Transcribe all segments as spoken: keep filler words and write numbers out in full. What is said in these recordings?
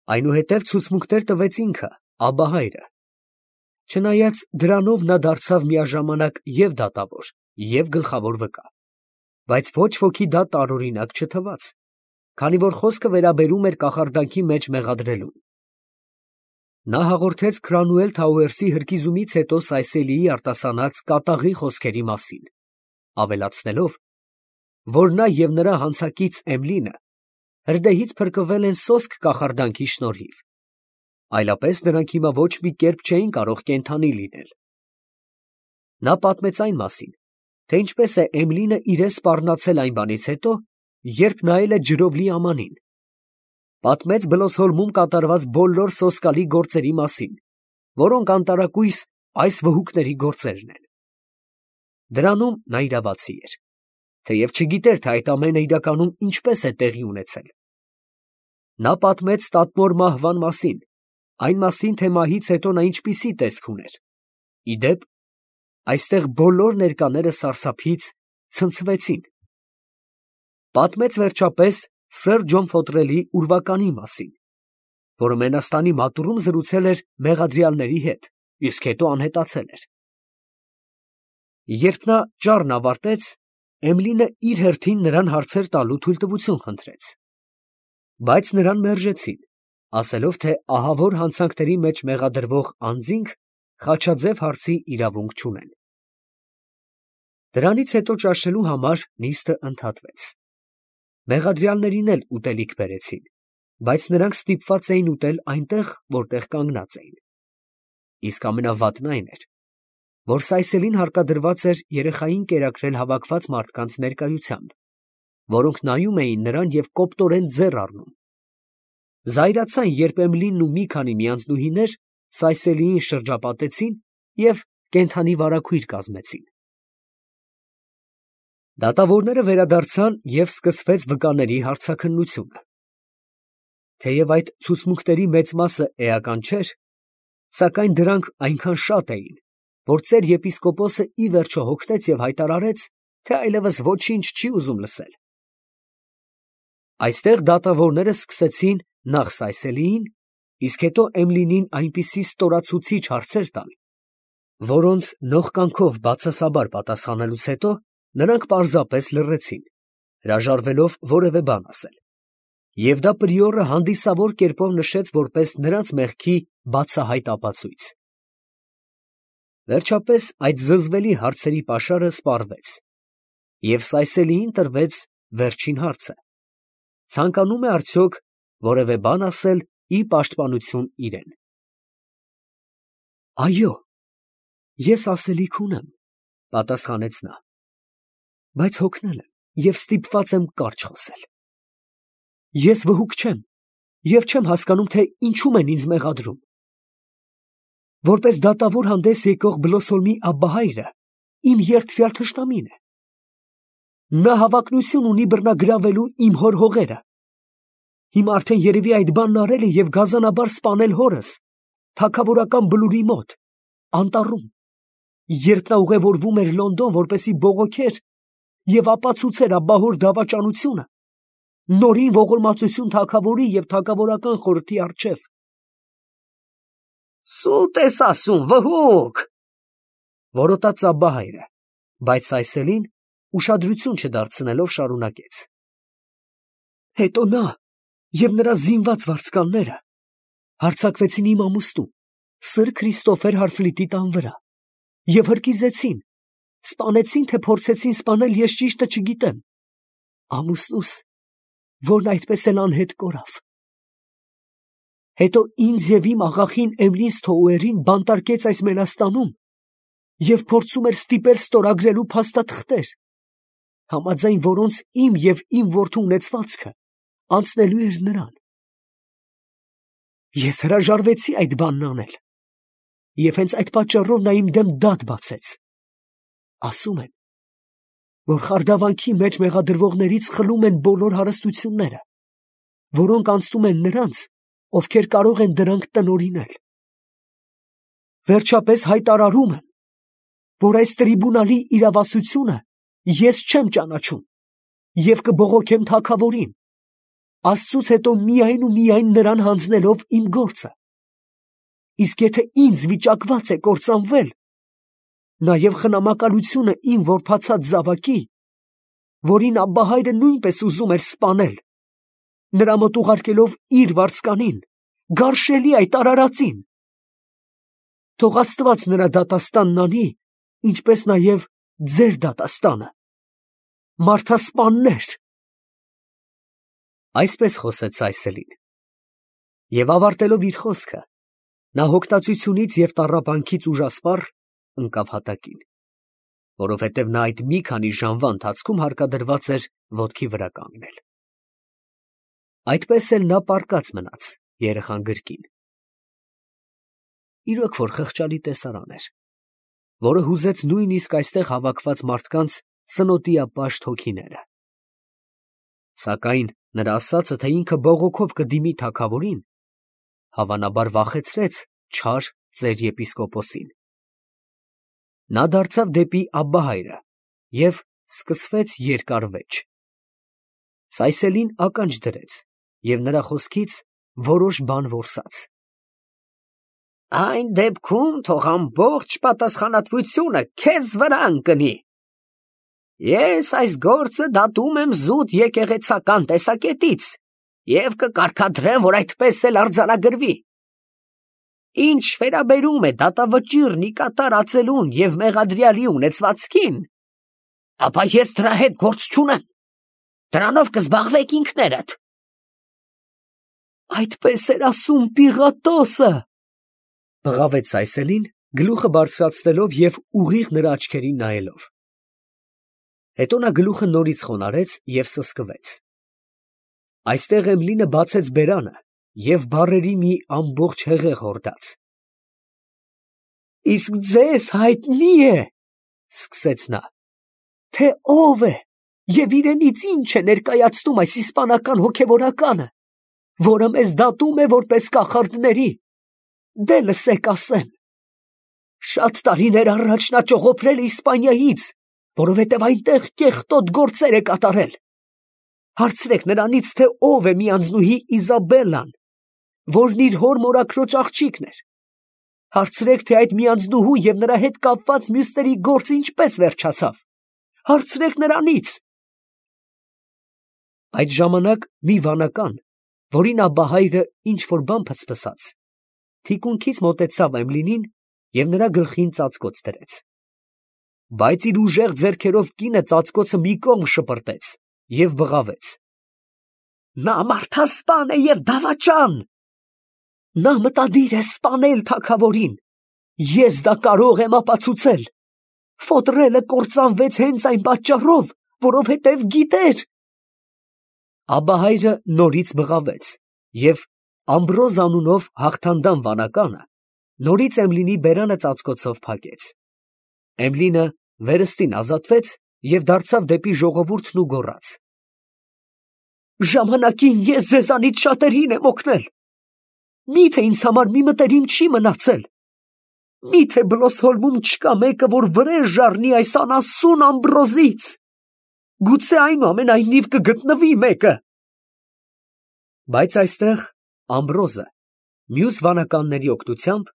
Այնուհետև ցուցմունքներ տվեց ինքը, Աբահայրը։ Չնայած դրանով նա դարձավ միաժամանակ և դատավոր, և գլխավոր վկա, բայց ոչ ոքի դա տարօրինակ չթվաց, քանի որ խոսքը վերաբերում էր կախարդանքի մեջ մեղադրելուն։ Նա հաղորդեց Քրանուել Թաուերսի հրկիզումից հետո Սայսելիի արտասանած կատաղի խոսքերի մասին, ավելացնելով, որ նա և նրա հանցակից Էմլինը հրդեհից փրկվել են սոսկ կախարդանքի շնորհիվ, այլապես նրանք հիմա ոչ մի կերպ չէին կարող կենդանի լինել։ Նա պատմեց այն մասին, թե ինչպես է Էմլինը իրեն սպառնացել այն բանից հետո, երբ նայել է ջրով լի ամանին, պատմեց Բլոսհոլմում կատարված բոլոր սոսկալի գործերի մասին, որոնք անտարակույս այս վհուկների գործերն են։ Դրանում նա իրավացի էր, թեև չգիտեր, թե այդ ամենը իրականում ինչպես է տեղի ունեցել։ Նա պատմեց տատմոր մահվան մասին, այն մասին, թե մահից հետո նա ինչպիսի տեսք ուներ։ Ի դեպ, այստեղ բոլոր ներկաները սարսափից ցնցվեցին։ Պատմեց վերջապես սըր Ջոն Ֆոտրելի ուրվականի մասին, որը Մենաստանի մատուռում զրուցել էր մեղադրյալների հետ, իսկ հետո անհետացել էր։ Երբ նա ճառն ավարտեց, Էմլինը իր հերթին նրան հարցեր տալու թույլտվություն խնդրեց, բայց նրան մերժեցին, ասելով, թե ահավոր հանցանքների մեջ մեղադրվող անձինք խաչաձև հարցի իրավունք չունեն։ Դրանից հետո ճաշելու համար նիստը ընդհատվեց։ Մեղադրյալներին էլ ուտելիք բերեցին, բայց նրանք ստիպված էին ուտել այնտեղ, որտեղ կանգնած էին։ Իսկ ամենավատն այն էր, որ Սայսելին հարկադրված էր երեխային կերակրել հավաքված մարդկանց ներկայությամբ, որոնք նայում էին նրան և կոպտորեն ձեռ առնում։ Զայրացան, երբ Էմլինն ու մի քանի միանձնուհիներ Սայսելիին շրջապատեցին և կենդանի վարագույր կազմեցին։ Դատավորները վերադարձան և սկսվեց վկաների հարցաքննությունը։ Թեև այդ ցուցմունքների մեծ մասը էական չէր, սակայն դրանք այնքան շատ էին, որ ծեր եպիսկոպոսը ի վերջո հոգնեց և հայտարարեց, թե այլևս ոչինչ չի ուզում լսել։ Այստեղ դատավորները սկսեցին նախ Սայսելիին, իսկ հետո Էմլինին այնպիսի ստորացուցիչ հարցեր տալ, որոնց նողկանքով բացասաբար պատասխանելուց հետո նրանք պարզապես լռեցին, հրաժարվելով որևէ բան ասել, և դա պրիորը հանդիսավոր կերպով նշեց որպես նրանց մեղքի բացահայտ ապացույց։ Վերջապես այդ զզվելի հարցերի պաշարը սպառվեց, և Սայսելիին տրվեց վերջին հարցը. ցանկանում է արդյոք որևէ բան ասել ի պաշտպանություն իրեն։ Այո, ես ասելիք ունեմ, ֊ պատասխանեց նա, ֊ բայց հոգնել եմ և ստիպված եմ կարճ խոսել։ Ես վհուկ չեմ և չեմ հասկանում, թե ինչում են ինձ մեղադրում։ Որպես դատավոր հանդես եկող Բլոսհոլմի Աբբահայրը իմ երդվյալ թշնամին է։ Նա հավակնություն ունի բռնագրավելու իմ հոր հողերը։ Հիմա արդեն երևի այդ բանն արել է և գազանաբար սպանել հորս, թագավորական բլուրի մոտ, անտառում, երբ նա ուղևորվում էր Լոնդոն, որպեսզի բողոքեր և ապացուցեր աբահոր դավաճանությունը, նորին ողորմածություն թագավորի և թագավորական խորհրդի առջև։ Սուտ ես ասում, վհուկ, ֊ որոտաց Աբբահայրը, բայց Սայսելին ուշադրություն չդարձնելով շարունակեց. Հետո նա և նրա զինված վարձկանները հարձակվեցին իմ ամուսնու, սըր Քրիստոֆեր Հարֆլիտի տան վրա և հրկիզեցին, սպանեցին, թե փորձեցին սպանել, ես ճիշտը չգիտեմ, ամուսնուս, որն այդպես էլ անհետ կորավ։ Հետո ինձ և իմ աղախին Էմլին Սթոուերին բանտարկեց այս Մենաստանում և փորձում էր ստիպել ստորագրելու փաստաթղթեր, համաձայն որոնց իմ և իմ որդու ունեցվածքը անցնելու էր նրան։ Ես հրաժարվեցի այդ բանն անել, և հենց այդ պատճառով նա իմ դեմ դատ բացեց։ Ասում են, որ խարդավանքի մեջ մեղադրվողներից խլում են բոլոր հարստությունները, որոնք անցնում են նրանց, ովքեր կարող են դրանք տնօրինել։ Վերջապես հայտարարում եմ, որ այս տրիբունալի իրավասությունը ես չեմ ճանաչում և կբողոքեմ թագավորին, Աստծուց հետո միայն ու միայն նրան հանձնելով իմ գործը։ Իսկ եթե ինձ վիճակված է կործանվել, նաև խնամակալությունը իմ որբացած զավակի, որին աբբահայրը նույնպես ուզում էր սպանել, նրա մոտ ուղարկելով իր վարձկանին, գարշելի այդ արարածին, թող Աստված նրա դատաստանն անի, ինչպես նաև ձեր դատաստանը, մարդասպաններ։ Այսպես խոսեց Սայսելին, և ավարտելով իր խոսքը, նա հոգտացությունից և տառապանքից ուժասպառ ընկավ հատակին, որովհետև նա այդ մի քանի ժամվա ընթացքում հարկադրված էր ոտքի վրա կանգնել։ Այդպես էլ նա պառկած մնաց երեխան գրկին։ Իրոք որ խղճալի տեսարան էր, որը հուզեց նույնիսկ այստեղ հավաքված մարդկանց սնոտիապաշտ հոգիները։ Սակայն նրա ասածը, թե ինքը բողոքով կդիմի թագավորին, հավանաբար վախեցրեց չար ծեր եպիսկոպոսին։ Նա դարձավ դեպի աբբահայրը և սկսվեց երկար վեճ։ Սայսելին ականջ դրեց և նրա խոսքից որոշ բան որսաց։ Այն դեպքում թող ամբողջ պատասխանատվությունը քեզ վրա ընկնի։ Ես այս գործը դատում եմ զուտ եկեղեցական տեսակետից և կկարգադրեմ, որ այդպես էլ արձանագրվի։ Ինչ վերաբերում է դատավճիռն ի կատար ածելուն և մեղադրյալի ունեցվածքին, ապա ես դրա հետ գործ չունեմ, դրանով կզբաղվեք ինքներդ։ Այդպես էր ասում Պիղատոսը, բղավեց Սայսելին, գլուխը բարձրացնելով և ուղիղ նրա աչքերին նայելով։ Հետո նա գլուխը նորից խոնարհեց և սսկվեց։ Այստեղ Էմլինը բացեց բերանը և բառերի մի ամբողջ հեղեղ հորդաց։ Իսկ ձեզ հայտնի է, սկսեց նա, թե ով է և իրենից ինչ է ներկայացնում այս իսպանական հոգևորականը, որը մեզ դատում է որպես կախարդների։ Դե լսեք ասեմ. շատ տարիներ առաջ նա ճողոպրել է Իսպանիայից, որովհետև այնտեղ կեղտոտ գործեր է կատարել։ Հարցրեք նրանից, թե ով է մի անձնուհի Իզաբելլան, որն իր հոր մորաքրոջ աղջիկն էր։ Հարցրեք, թե այդ մի անձնուհու և նրա հետ կապված մյուսների գործը ինչպես վերջացավ։ Հարցրեք նրանից։ Այդ ժամանակ մի վանական, որին աբբահայրը ինչ-որ բան փսփսաց, թիկունքից մոտեցավ Էմլինին և նրա գլխին ծածկոց դրեց։ Բայց իր ուժեղ ձեռքերով կինը ծածկոցը մի կողմ շպրտեց և բղավեց. նա մարդասպան է և դավաճան։ Նա մտադիր է սպանել թագավորին։ Ես դա կարող եմ ապացուցել։ Ֆոտրելը կործանվեց հենց այն պատճառով, որովհետև գիտեր։ Աբբահայրը նորից բղավեց և Ամբրոզ անունով հաղթանդամ վանականը նորից Էմլինի բերանը ծածկոցով փակեց։ Էմլինը վերստին ազատվեց և դարձավ դեպի ժողովուրդն ու գոռաց. ժամանակին ես ձեզանից շատերին եմ օգնել։ Մի՞թե ինձ համար մի մտերիմ չի մնացել։ Մի՞թե Բլոսհոլմում չկա մեկը, որ վրեժ առնի այս անասուն Ամբրոզից։ Գուցե այնուամենայնիվ կգտնվի մեկը։ Բայց այստեղ Ամբրոզը մյուս վանականների օգնությամբ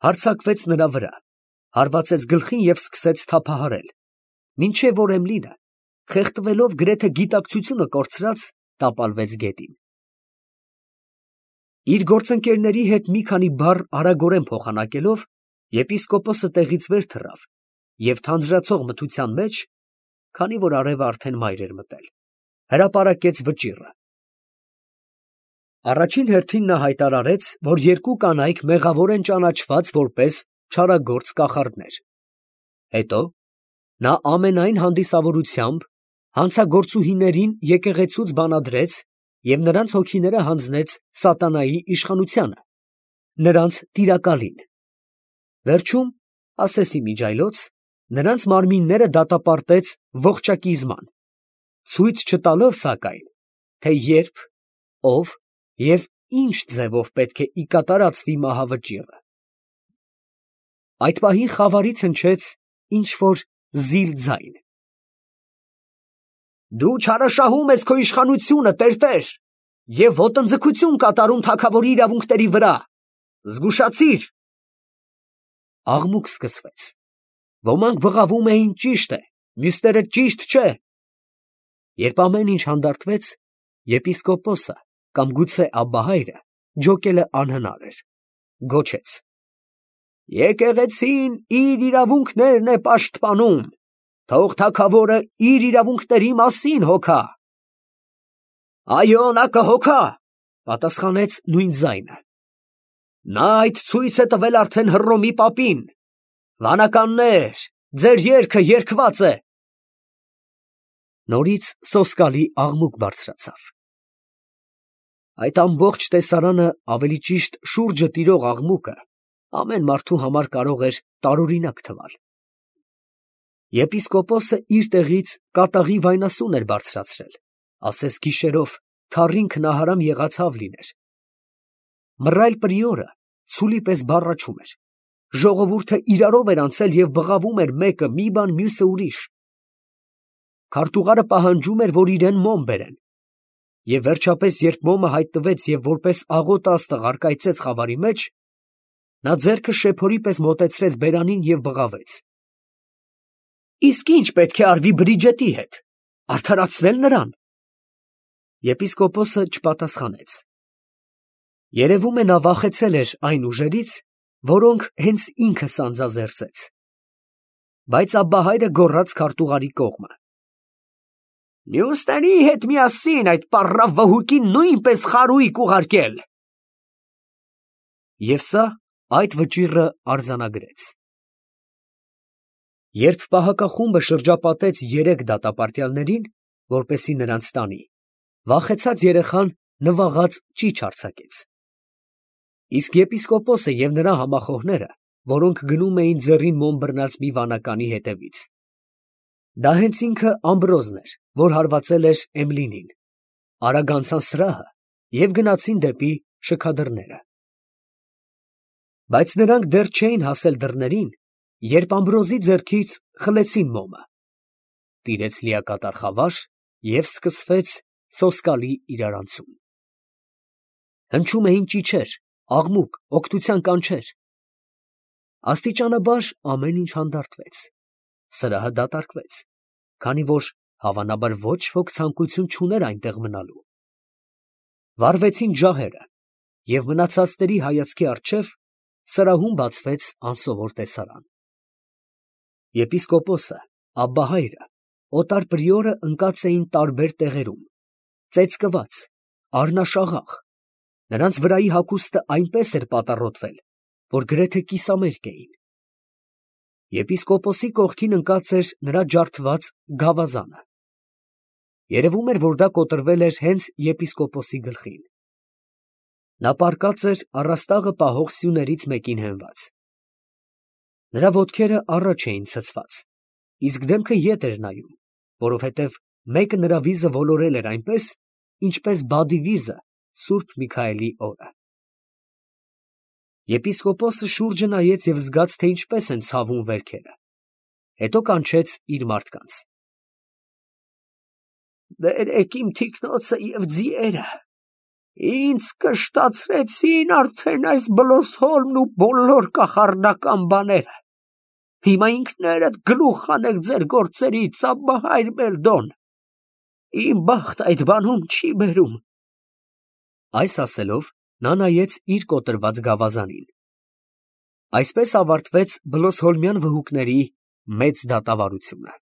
հարձակվեց նրա վրա, հարվածեց գլխին և սկսեց թափահարել, մինչև որ Էմլինը, խեղդվելով գրեթե գիտակցությունը կորցրած, տապալվեց գետին։ Իր գործընկերների հետ մի քանի բառ արագորեն փոխանակելով, եպիսկոպոսը տեղից վեր թռավ և թանձրացող մթության մեջ, քանի որ արևը արդեն մայր էր մտել, հրապարակեց վճիռը։ Առաջին հերթին նա հայտարարեց, որ երկու կանայք մեղավոր են ճանաչված որպես չարագործ կախարդներ։ Հետո նա ամենայն հանդիսավորությամբ հանցագործուհիներին եկեղեցուց բանադրեց և նրանց հոգիները հանձնեց սատանայի իշխանությանը, նրանց տիրակալին։ Վերջում, ասեսի միջայլոց, նրանց մարմինները դատապարտեց ողջակիզման, ցույց չտալով, սակայն, թե երբ, ով և ինչ ձևով պետք է ի կատար ածվի մահավճիռը։ Այդ պահին խավարից հնչեց ինչ-որ զիլ ձայն. Դու չարաշահում ես քո իշխանությունը, տերտեր, և ոտնձգություն կատարում թագավորի իրավունքների վրա։ Զգուշացիր։ Աղմուկ սկսվեց։ Ոմանք բղավում էին ճիշտ է, մյուսները ճիշտ չէ։ Երբ ամեն ինչ հանդարտվեց, եպիսկոպոսը կամ գուցե Աբբահայրը ջոկելը անհնար էր, գոչեց. Եկեղեցին իր իրավունքներն է պաշտպանում, թող թագավորը իր իրավունքների մասին հոգա։ Այո, նա կհոգա, պատասխանեց նույն ձայնը։ Նա այդ ցույց է տվել արդեն Հռոմի պապին։ Վանականներ, ձեր երգը երգված է։ Նորից սոսկալի աղմուկ բարձրացավ։ Այդ ամբողջ տեսարանը, ավելի ճիշտ շուրջը տիրող աղմուկը, ամեն մարդու համար կարող էր տարօրինակ թվալ։ Եպիսկոպոսը իր տեղից կատաղի վայնասուն էր բարձրացրել, ասես գիշերով թառին քնահարամ եղած հավ լիներ։ Մռայլ պրիորը ցուլի պես բառաչում էր։ Ժողովուրդը իրարով էր անցել և բղավում էր մեկը մի բան, մյուսը ուրիշ։ Քարտուղարը պահանջում էր, որ իրեն մոմ բերեն։ Եվ վերջապես, երբ մոմը հայտնվեց և որպես աղոտ աստղ առկայծեց խավարի մեջ, նա ձեռքը շեփորի պես մոտեցրեց բերանին և բղավեց. Իսկ ի՞նչ պետք է արվի Բրիջետի հետ, արդարացնել նրան։ Եպիսկոպոսը չպատասխանեց։ Երևում է, նա վախեցել էր այն ուժերից, որոնք հենց ինքը սանձազերծեց։ Բայց Աբբահայրը գոռաց քարտուղարի կողմը. Մյուսների հետ միասին այդ պառավ վհուկին նույնպես խարույկ ուղարկել։ Եվ սա այդ վճիռը արձանագրեց։ Երբ պահակախումբը շրջապատեց երեք դատապարտյալներին, որպեսզի նրանց տանի, վախեցած երեխան նվաղած ճիչ արձակեց։ Իսկ եպիսկոպոսը և նրա համախոհները, որոնք գնում էին ձեռին մոմ բռնած մի վանականի հետևից, դա հենց ինքը Ամբրոզն էր, որ հարվածել էր Էմլինին, արագ անցան սրահը և գնացին դեպի շքադռները։ Բայց նրանք դեռ չէին հասել դռներին, երբ Ամբրոզի ձեռքից խլեցին մոմը։ Տիրեց լիակատար խավար և սկսվեց սոսկալի իրարանցում։ Հնչում էին ճիչեր, աղմուկ, օգնության կանչեր։ Աստիճանաբար ամեն ինչ հանդարտվեց, սրահը դատարկվեց, քանի որ հավանաբար ոչ ոք ցանկություն չուներ այնտեղ մնալու։ Վառվեցին ջահերը, և մնացածների հայացքի առջև սրահում բացվեց անսովոր տեսարան։ Եպիսկոպոսը, Աբբահայրը, օտար պրիորը ընկած էին տարբեր տեղերում, ծեծկված, առնաշաղախ, նրանց վրայի հագուստը այնպես էր պատառոտվել, որ գրեթե կիսամերկ էին։ Եպիսկոպոսի կողքին ընկած էր նրա ջարդված գավազանը։ Երևում էր, որ դա կոտրվել էր հենց եպիսկոպոսի գլխին։ Նա պառկած էր առաստաղը պահող սյուներից մեկին հենված։ Նրա ոտքերը առաջ էին ցցված, իսկ դեմքը ետ էր նայում, որովհետև մեկը նրա վիզը ոլորել էր այնպես, ինչպես բադի վիզը Սուրբ Միքայելի օրը։ Եպիսկոպոսը շուրջը նայեց և զգաց, թե ինչպես են ցավում վերքերը, հետո կանչեց իր մարդկանց. Բերեք իմ թիկնոցը և ձիերը, ինձ կշտացրեցին արդեն այս բլոսհոլմն ու բոլոր կախարդական բաները, հիմա ինքներդ գլուխ հանեք ձեր գործերից, Աբբահայր Մելդոն, իմ բախտը այդ բանում չի բերում։ Այս ասելով, նա նայեց իր կոտրված գավազանին։ Այսպես ավարտվեց բլոսհոլմյան վհուկների մեծ դատավարությունը։